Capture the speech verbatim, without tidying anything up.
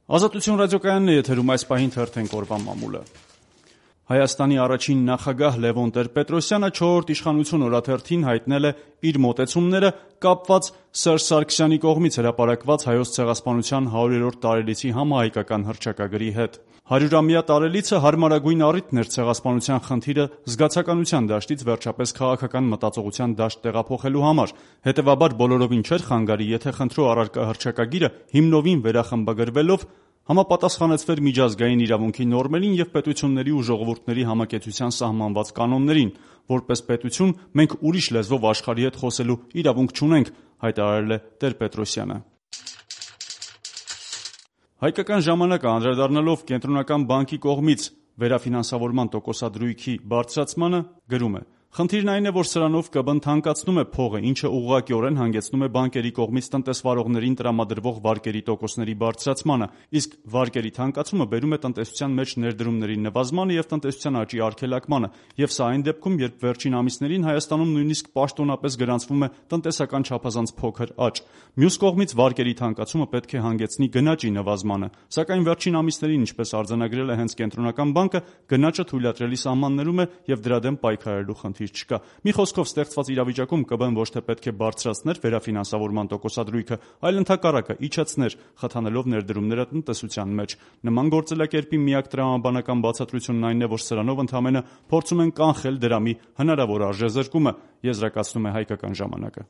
Ազատություն ռադիոկայանն է եթերում, այս պահին թերթենք օրվա մամուլը։ Հայաստանի առաջին նախագահ Լևոն Տեր-Պետրոսյանը չորրորդ իշխանություն օրաթերթին հայտնել է իր մոտեցումները կապված Սերժ Սարգսյանի կողմից հրապարակված Հայոց ցեղասպանության հարյուրերորդ տարելիցի համահայկական հռչակագրի հետ։ Հարյուրամյա տարելիցը հարմարագույն առիթն էր ցեղասպանության խնդիրը զգացականության դաշտից վերջապես քաղաքական մտածողության դաշտ տեղափոխելու համար։ Հետևաբար բոլորովին չէր խանգարի, եթե խնդրու առարկա հռչակագիրը հիմնովին վերախմբագրվելով համապատասխանեցվեր միջազգային իրավունքի նորմերին եւ պետությունների ու ժողովուրդների համակեցության սահմանված կանոններին։ Որպես պետություն մենք ուրիշ լեզվով աշխարհի հետ խոսելու իրավունք չունենք, հայտարարել է Տեր-Պետրոսյանը։ Հայկական ժամանակը անդրադառնալով Կենտրոնական բանկի կողմից վերաֆինանսավորման տոկոսադրույքի բարձրացմանը գրում է. «Խնդիրն այն է, որ սրանով ԿԲ-ն թանկացնում է փողը, ինչը ուղղակիորեն հանգեցնում է բանկերի կողմից տնտեսվարողներին տրամադրվող վարկերի տոկոսների բարձրացմանը, իսկ վարկերի թանկացումը բերում է տնտեսության մեջ ներդրումների նվազմանը եւ տնտեսության աճի արգելակմանը, եւ սա այն դեպքում, երբ վերջին ամիսներին Հայաստանում նույնիսկ պաշտոնապես գրանցվում է տնտեսական չափազանց փոքր աճ։ Մյուս կողմից վարկերի թանկացումը պետք է հանգեցնի գնաճի նվազմանը, սակայն վերջին ամիսներին, ինչպես արձանագրել է հենց Կենտրոնական բանկը, գնաճը թույլատրելի սահմաններում է եւ դրա դեմ պայքարելու խնդիր չկա։ Մի խոսքով, ստեղծված իրավիճակում ԿԲ-ն ոչ թե պետք է բարձրացներ վերաֆինանսավորման տոկոսադրույքը, այլ ընդհակառակը իջեցներ, խթանելով ներդրումները տնտեսության մեջ։ Նման գործելակերպի միակ տրամաբանական բացատրությունն այն է, որ սրանով ընդամենը փորձում են կանխել դրամի հնարավոր արժեզրկումը», եզրակացնում է Հայկական ժամանակը։